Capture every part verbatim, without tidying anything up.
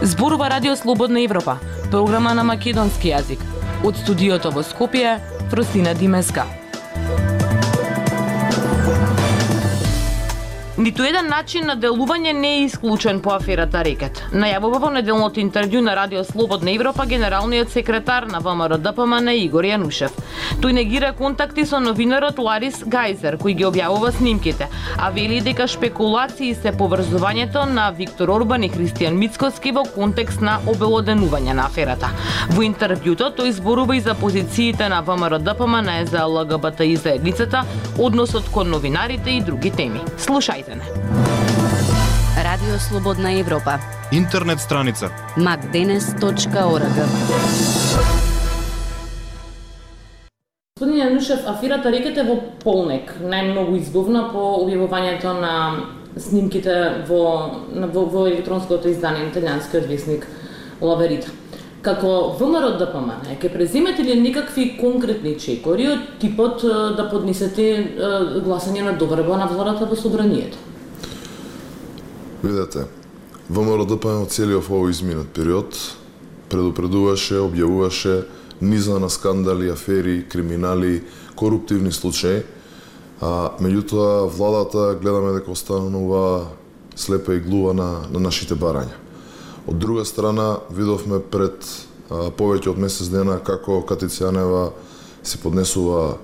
Зборува Радио Слободна Европа, програма на македонски јазик. Од студиото во Скопје, Фросина Димеска. Ниту еден начин на делување не е исклучен по аферата Рекет. Најавува во неделното интервју на Радио Слободна Европа генералниот секретар на ВМРО-ДПМН Игор Јанушев. Тој негира контакти со новинарот Ларис Гајзер, кој ги објавува снимките, а вели дека шпекулации се поврзувањето на Виктор Орбан и Христијан Мицкоски во контекст на обелоденување на аферата. Во интервјуто тој зборува и за позициите на ВМРО-ДПМН за ЛГБТИ заедницата, односот кон новинарите и други теми. Слушајте. Радио Слободна Европа. Интернет страница макденес точка орг. Господин Јанушев, аферата Рекет е во полнек, најмногу избувна по објавувањето на снимките во, во, во електронското издание на италијанскиот весник La Verità. Како ВМРО-ДПМН, ќе преземете ли некакви конкретни чекори од типот да поднесете гласање на доверба на владата во собранието? Видете, ВМРО-ДПМН целиот овој изминат период предупредуваше, објавуваше низа на скандали, афери, криминали, коруптивни случаи, а меѓутоа владата гледаме дека останува слепа и глува на, на нашите барања. Од друга страна, видовме пред а, повеќе од месец дена како Катица Јанева си поднесува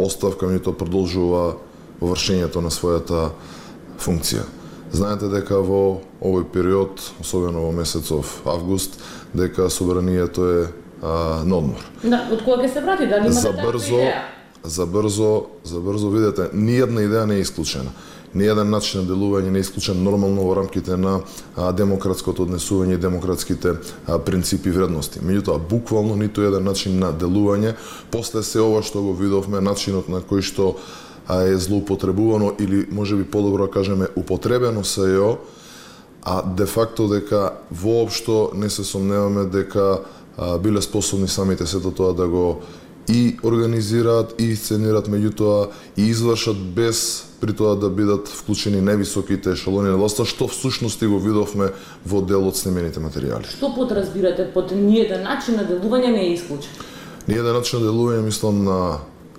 оставка, меѓутоа продолжува во вршењето на својата функција. Знаете дека во овој период, особено во месецов август, дека собранието е а, на одмор. Да, од кога ќе се врати? Дали имате за брзо, идеја? За брзо, за брзо, видете, ниједна идеја не е исклучена. Ниједен начин на делување не е исклучен нормално во рамките на а, демократското однесување и демократските а, принципи и вредности. Меѓутоа, буквално ниту еден начин на делување, после се ова што го видовме, начинот на кој што а, е злоупотребувано или можеби подобро кажеме употребено се ја, а де факто дека воопшто не се сомневаме дека а, биле способни самите сето тоа да го и организираат и сценираат, меѓутоа и извршат без при тоа да бидат вклучени највисоките ешелони на власта, што всушност и го видовме во дел од снимените материјали. Што подразбирате под ниеден начин на делување не е исклучен? Ниеден начин на делување мислам на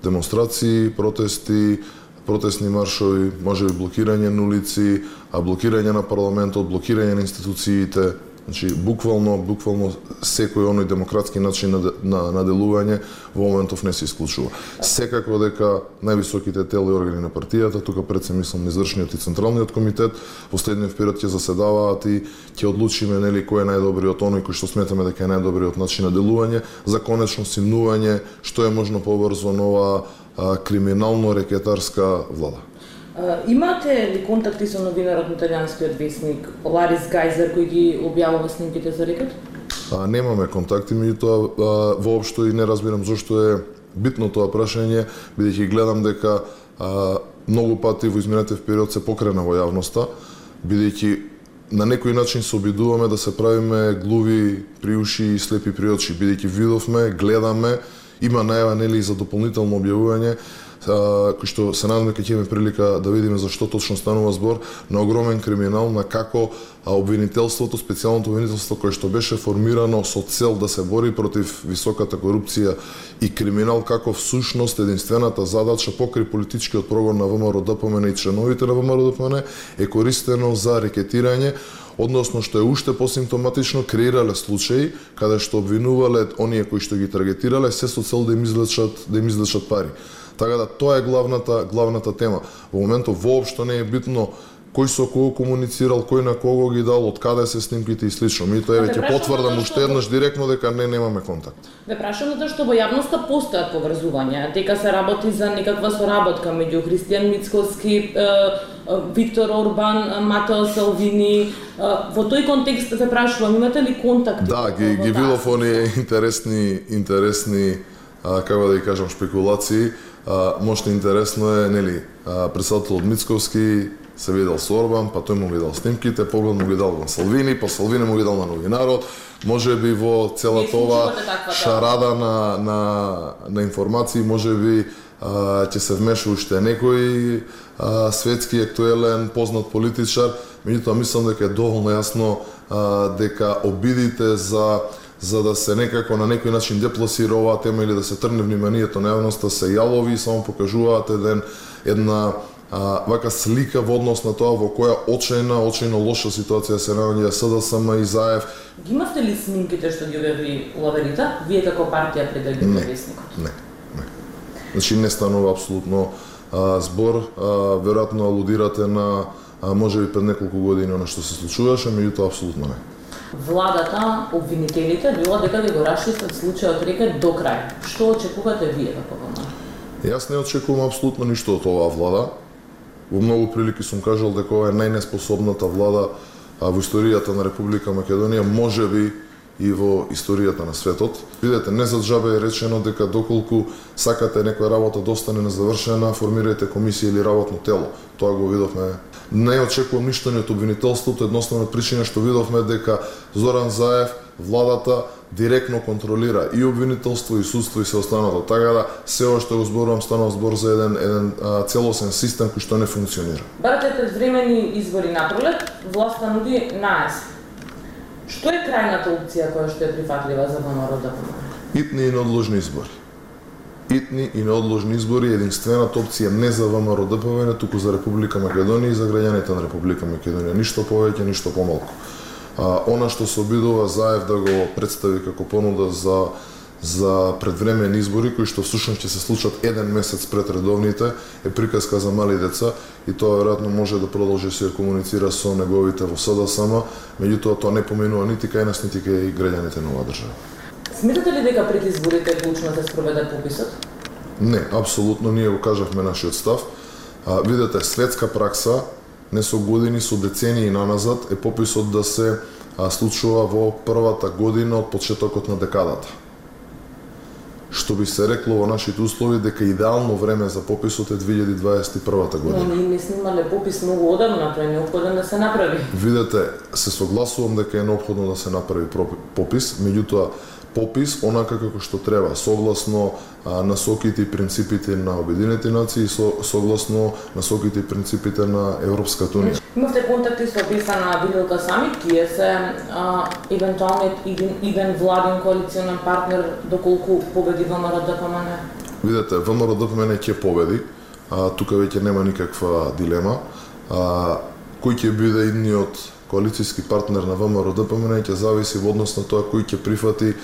демонстрации, протести, протестни маршови, можеби блокирање на улици, а блокирање на парламентот, блокирање на институциите. Значи, буквално, буквално секој оној демократски начин на, на, на делување во моментов не се исклучува. Секако дека највисоките тела и органи на партијата, тука пред се мислам извршниот и централниот комитет, во следниот период ќе заседаваат и ќе одлучиме нели кој е најдобриот оној кој што сметаме дека е најдобриот начин на делување за конечно симнување што е можно побрзо нова а, криминално-рекетарска влада. Uh, имате ли контакти со новинарот на италијанскиот весник Ларис Гајзер кој ги објавува снимките за Рекет? А, немаме контакти, меѓутоа воопшто и не разбирам зошто е битно тоа прашање, бидејќи гледам дека а, многу пати во изминатиот период се покрена во јавноста, бидејќи на некој начин се обидуваме да се правиме глуви при уши и слепи при очи, бидејќи видовме, гледаме, има најава нели за дополнително објавување, кој што се надам дека ќе имаме прилика да видиме за што точно станува збор, на огромен криминал, на како обвинителството, специјалното обвинителство кое што беше формирано со цел да се бори против високата корупција и криминал, како всушност единствената задача покрај политичкиот прогон на ВМРО-ДПМН и членовите на ВМРО-ДПМН е користено за рекетирање, односно што е уште посимптоматично креирале случаи каде што обвинувале оние кои што ги таргетирале се со цел да им извлечат да им извлечат пари. Така да тоа е главната главната тема. Во моментот воопшто не е битно кој со кого комуницирал, кој на кого ги дал, од каде се снимките и слично. Ми тоа веќе потврдам уште еднаш директно дека не немаме контакт. Ве прашам затоа што во јавноста постојат поврзувања, дека се работи за некаква соработка меѓу Христијан Мицкоски, Виктор Орбан, Матео Салвини. Во тој контекст ве прашувам, имате ли контакти? Да, ги, ги видов оние интересни интересни како да ги кажам шпекулации. Uh, Мошто интересно е, нели, uh, председателот Мицковски се видел со Орбан, па тој му видел снимките, поглед му ги дал на Салвини, па Салвини му ги дал на новинарот, може би во целата ова шарада на, на, на информации, може би ќе се вмеша уште некој а, светски, актуелен, познат политичар, меѓутоа мислам дека е доволно јасно а, дека обидите за за да се некако на некој начин депласира оваа тема или да се трне вниманието на јавноста се јалови и само покажуваат еден една а, вака слика во однос на тоа во која очајна, очајно лоша ситуација се наоѓа СДСМ и ЗАЕВ. Ги имавте ли снимките што ги објави Лаверита, вие како партија пред да ги вестникот? Не, не. Значи не станува апсолутно а, збор, а, веројатно алудирате на а, можеби пред неколку години она што се случуваше, меѓутоа апсолутно не. Владата, обвинителите, било дека ви го расчистат случајот Рекет до крај. Што очекувате вие како ВМР? Јас не очекувам апсолутно ништо од оваа влада. Во многу прилики сум кажал дека ова е најнеспособната влада а, во историјата на Република Македонија, можеби и во историјата на светот. Видете, не за џабе е речено дека доколку сакате некоја работа да остане незавршена, формирајте комисија или работно тело. Тоа го видовме. Не очекувам ништо ни од обвинителството, едноставно причина што видовме дека Зоран Заев, владата директно контролира и обвинителство и судство и се останато. Така да се ова што го зборувам станува збор за еден еден а, целосен систем кој што не функционира. Барате предвремени избори на пролет, власта нуди на есен. Што е крајната опција која што е прифатлива за ВМРО да помага? Итни и неодложни избори. Итни и неодложни избори е единствената опција не за ВМРО Д П М Н, туку за Република Македонија и за граѓаните на Република Македонија. Ништо повеќе, ништо помалку. А, она што се обидува Заев да го представи како понуда за за предвремени избори кои што всушност ќе се случат еден месец пред редовните е приказка за мали деца и тоа веројатно може да продолжи се комуницира со неговите во СДСМ, меѓутоа тоа не поминува нити кај нас нити кај граѓаните на оваа држава. Сметате ли дека пред изборите е клучно да се спроведе пописот? Не, апсолутно, ние го кажавме нашиот став. А, видете, светска пракса не со години, со децении наназад е пописот да се а, случува во првата година од почетокот на декадата. Што би се рекло во нашите услови дека идеално време за пописот е две илјади дваесет и прва година. Но ние не снимале попис многу одамна, тој е неопходен да се направи. Видете, се согласувам дека е неопходно да се направи попис, меѓутоа попис онака како што треба, согласно а, насоките и принципите на Обединетите нации и со, согласно насоките и принципите на Европската унија. Имавте контакти со Беса на Виделка Самит, кие се а, евентуалниот иден владин коалиционен партнер доколку победи ВМРО Д П М Н? Видете, ВМРО Д П М Н ќе победи, а, тука веќе нема никаква дилема. А, кој ќе биде идниот коалицијски партнер на ВМРО Д П М Н ќе зависи во однос на тоа кој ќе прифати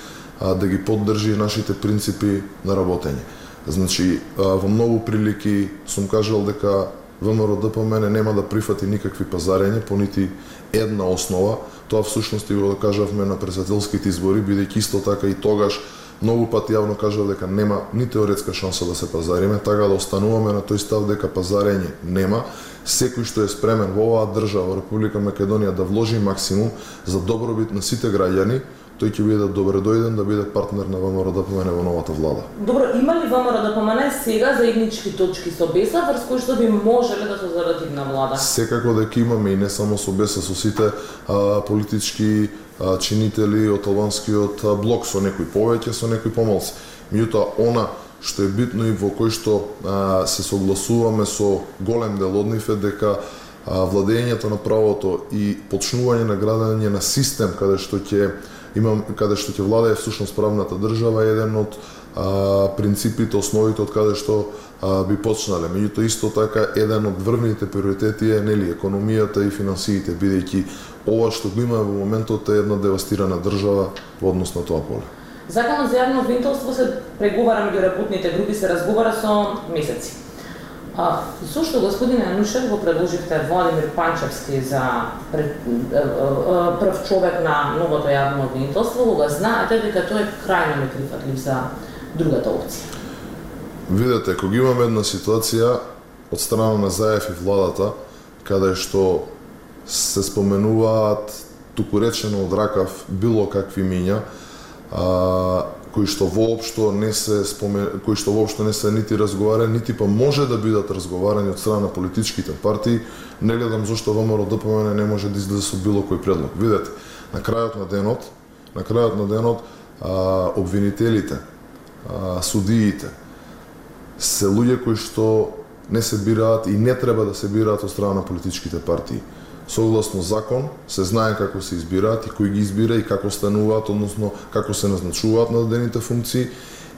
а, да ги поддржи нашите принципи на работење. Значи, а, во многу прилики сум кажал дека ВМРО Д П М Н нема да прифати никакви пазарења по нити една основа. Тоа всушност и го кажавме на председателските избори, бидејќи исто така и тогаш многу пати јавно кажав дека нема ни теоретска шанса да се пазариме, така да остануваме на тој став дека пазарење нема. Секој што е спремен во оваа држава, Република Македонија, да вложи максимум за добробит на сите граѓани, тој ќе биде добре дојден да биде партнер на ВМРО Д П М Н во новата влада. Добро, има ли ВМРО Д П М Н сега заеднички точки со Беса врз кои што би можеле да создаде идна влада? Секако дека имаме и не само со Беса, со сите а, политички а, чинители од албанскиот блок, со некои повеќе, со некои помалку. Меѓутоа, она што е битно и во кој што а, се согласуваме со голем дел од нив е дека а, владењето на правото и почнување на градење на систем каде што ќе имам каде што ќе владее всушност правната држава е еден од а, принципите, основите од каде што а, би почнале. Меѓутоа исто така еден од врвните приоритети е нели економијата и финансиите, бидејќи ова што го има во моментот е една девастирана држава во однос на тоа поле. Законот за јавно обвинителство се преговара меѓу работните групи, се разговара со месеци. А, зошто господине Јанушев го предложивте Владимир Панчевски за пред, прв човек на новото јавно обвинителство, кога знаете дека тој е крајно неприфатлив за другата опција? Видете, кога имаме една ситуација од страна на Заев и владата, каде што се споменуваат туку речено од ракав било какви миња, а, кои што воопшто не се спомен... кои што воопшто не се нити разговарани, нити па може да бидат разговарани од страна на политичките партии, не гледам зошто ВМРО-ДПМН не може да излезе со било кој предлог. Видете, на крајот на денот, на крајот на денот, а, обвинителите, а, судиите се луѓе кои што не се бираат и не треба да се бираат од страна на политичките партии. Согласно закон се знае како се избираат и кој ги избира и како стануваат, односно како се назначуваат на дадените функции,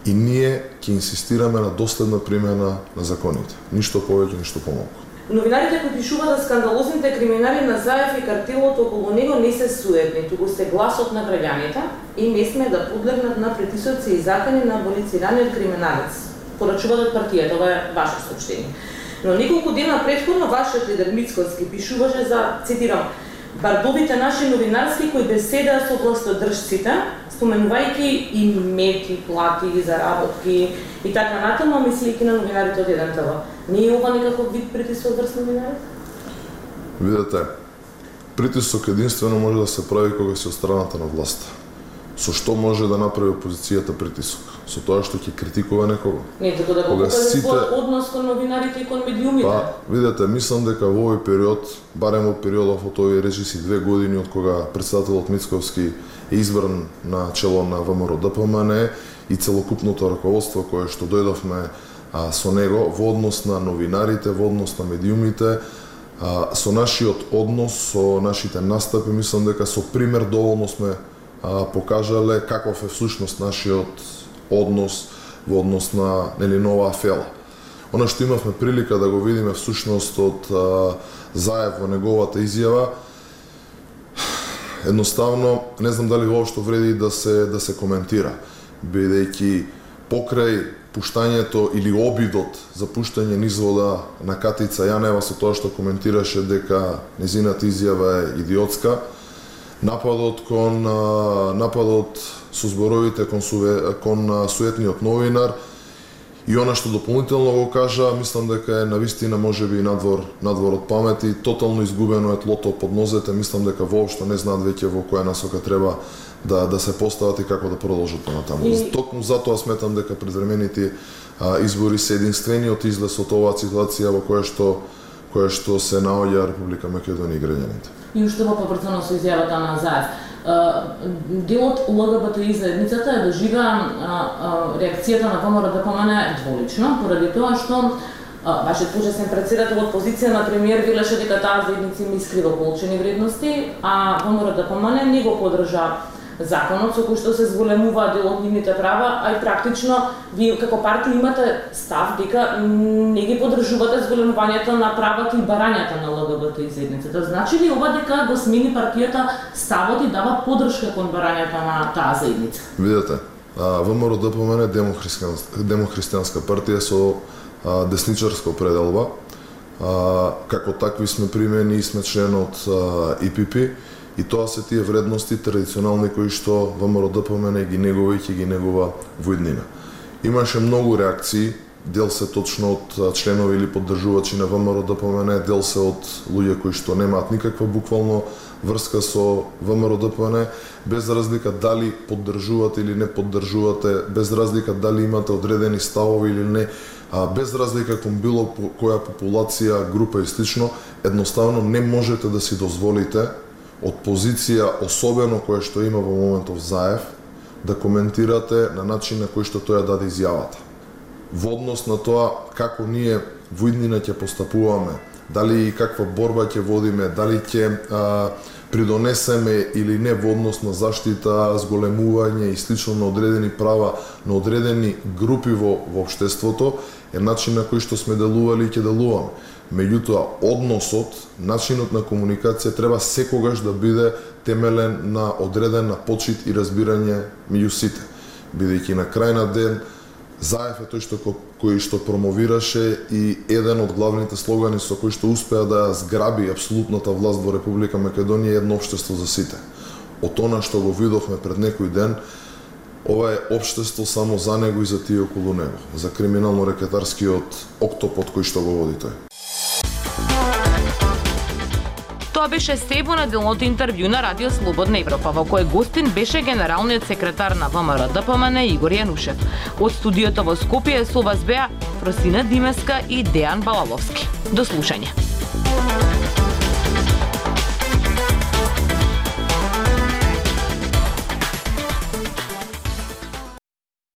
и ние ќе инсистираме на доследна примена на законите. Ништо повеќе, ништо помалку. Новинарите кои пишуваат за скандалозните криминари на Заев и картелот околу него не се суетни, туку се гласот на граѓаните и не сме да подлегнат на притисоци и закани на аболицираниот криминалец. Порачуваат партијата, ова е ваше соопштение. Но неколку дена претходно вашиот лидер Мицкоски пишуваше за, цитирам, бардовите наши новинарски кои беседаа со властодржците, споменувајќи имети, плати, заработки и така натаму, мислејќи на новинарите од еден ТВ. Не е ова некаков вид притисок врз новинарите? Видете, притисок единствено може да се прави кога си од страната на власта. Со што може да направи опозицијата притисок? Со тоа што ќе критикува некого? Не, така да го покаже сите... својот однос кон новинарите и кон медиумите. Па, видете, мислам дека во овој период, барем во периодов од овие речиси две години од кога претседателот Мицковски е избран на чело на ВМРО-ДПМН и целокупното раководство кое што дојдовме а, со него во однос на новинарите, во однос на медиумите, а, со нашиот однос, со нашите настапи, мислам дека со пример доволно сме а, покажале каков е всушност нашиот однос во однос на нели нова афела. Она што имавме прилика да го видиме всушност од а, Заев во неговата изјава, едноставно не знам дали воопшто вреди да се да се коментира, бидејќи покрај пуштањето или обидот за пуштање низ вода на Катица Јанева со тоа што коментираше дека незината изјава е идиотска, нападот кон нападот со зборовите кон, суве, кон суетниот новинар и она што дополнително го кажа, мислам дека е навистина можеби и надвор надвор од памет и тотално изгубено е тлото под нозете, мислам дека воопшто не знаат веќе во која насока треба да да се постават и како да продолжат понатаму. И... Токму затоа сметам дека предвремените а, избори се единствениот излез од оваа ситуација во која што која што се наоѓа Република Македонија и граѓаните. И уште во поврзано со изјавата на Заев. Делот ЛГБТИ заедницата е доживеа реакцијата на ВМРО-ДПМН дволично, поради тоа што вашиот почесен претседател од позиција на премиер велеше дека таа заедница има искриво получени вредности, а ВМРО-ДПМН не го подржа законот со кој што се зголемува дел од нивните права, а и практично вие како партија имате став дека не ги подржувате зголемувањето на правата и барањата на ЛГБТИ заедницата. Значи ли ова дека го смени партијата ставот и дава подршка кон барањата на таа заедница? Видете, ВМРО-ДПМН е демохристијанска, демохристијанска партија со а, десничарска определба. А, како такви сме примени и сме член од И Пи Пи. И тоа се тие вредности традиционални кои што ВМРО-ДПМН ги негува и ќе ги негува во иднина. Имаше многу реакции, дел се точно од членови или поддржувачи на ВМРО-ДПМН, дел се од луѓе кои што немаат никаква буквално врска со ВМРО-ДПМН, без разлика дали поддржувате или не поддржувате, без разлика дали имате одредени ставови или не, а без разлика кон било која популација, група и слично, едноставно не можете да си дозволите од позиција, особено која што има во моментов Заев, да коментирате на начин на кој што тој ја даде изјавата. Во однос на тоа како ние во иднина ќе постапуваме, дали и каква борба ќе водиме, дали ќе а, придонесеме или не во однос на заштита, зголемување и слично на одредени права на одредени групи во, во општеството, е начин на кој што сме делували и ќе делуваме. Меѓутоа, односот, начинот на комуникација треба секогаш да биде темелен на одредена почит и разбирање меѓу сите. Бидејќи на крај на ден, Заев е тој што кој што промовираше и еден од главните слогани со кој што успеа да зграби апсолутната власт во Република Македонија едно општество за сите. Од она што го видовме пред некој ден, ова е општество само за него и за тие околу него, за криминално-рекетарскиот октопод кој што го води тој. Тоа беше се во неделното интервју на Радио Слободна Европа, во кое гостин беше генералниот секретар на ВМРО Д П М Н Игор Јанушев. Од студиото во Скопје со вас беа Фросина Димеска и Дејан Балаловски. До слушање.